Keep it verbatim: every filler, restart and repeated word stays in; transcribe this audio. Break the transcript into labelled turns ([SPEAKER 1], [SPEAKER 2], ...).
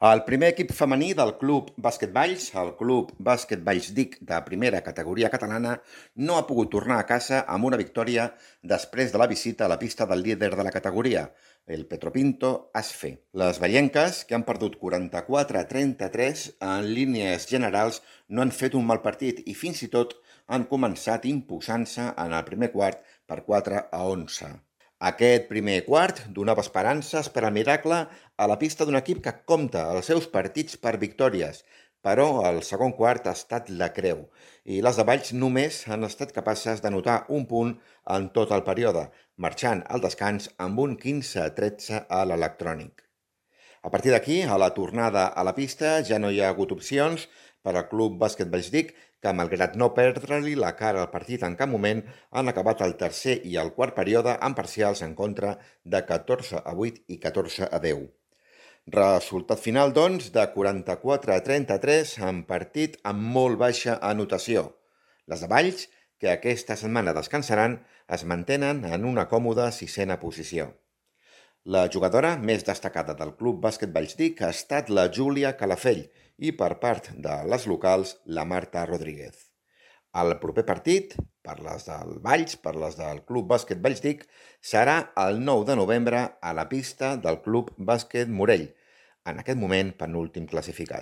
[SPEAKER 1] El primer equip femení del Club Bàsquet Valls, el Club Bàsquet Valls Dic de primera categoria catalana, no ha pogut tornar a casa amb una victòria després de la visita a la pista del líder de la categoria, el Petropinto Asfe. Les vallenques, que han perdut quaranta-quatre a trenta-tres, en línies generals no han fet un mal partit i fins i tot han començat imposant-se en el primer quart per quatre a onze. Aquest primer quart donava esperances per al miracle a la pista d'un equip que compta els seus partits per victòries, però el segon quart ha estat la creu i les de Valls només han estat capaces d'anotar un punt en tot el període, marxant al descans amb un quinze a tretze a l'electrònic. A partir d'aquí, a la tornada a la pista, ja no hi ha hagut opcions per al Club Bàsquet Valls Dic, que malgrat no perdre-li la cara al partit en cap moment, han acabat el tercer i el quart període amb parcials en contra de catorze a vuit i catorze a deu. Resultat final, doncs, de quaranta-quatre a trenta-tres, en partit amb molt baixa anotació. Les de Valls, que aquesta setmana descansaran, es mantenen en una còmoda sisena posició. La jugadora més destacada del Club Bàsquet Valls Dic ha estat la Júlia Calafell i per part de les locals la Marta Rodríguez. El proper partit, per les del Valls, per les del Club Bàsquet Valls Dic, serà el nou de novembre a la pista del Club Bàsquet Morell, en aquest moment penúltim classificat.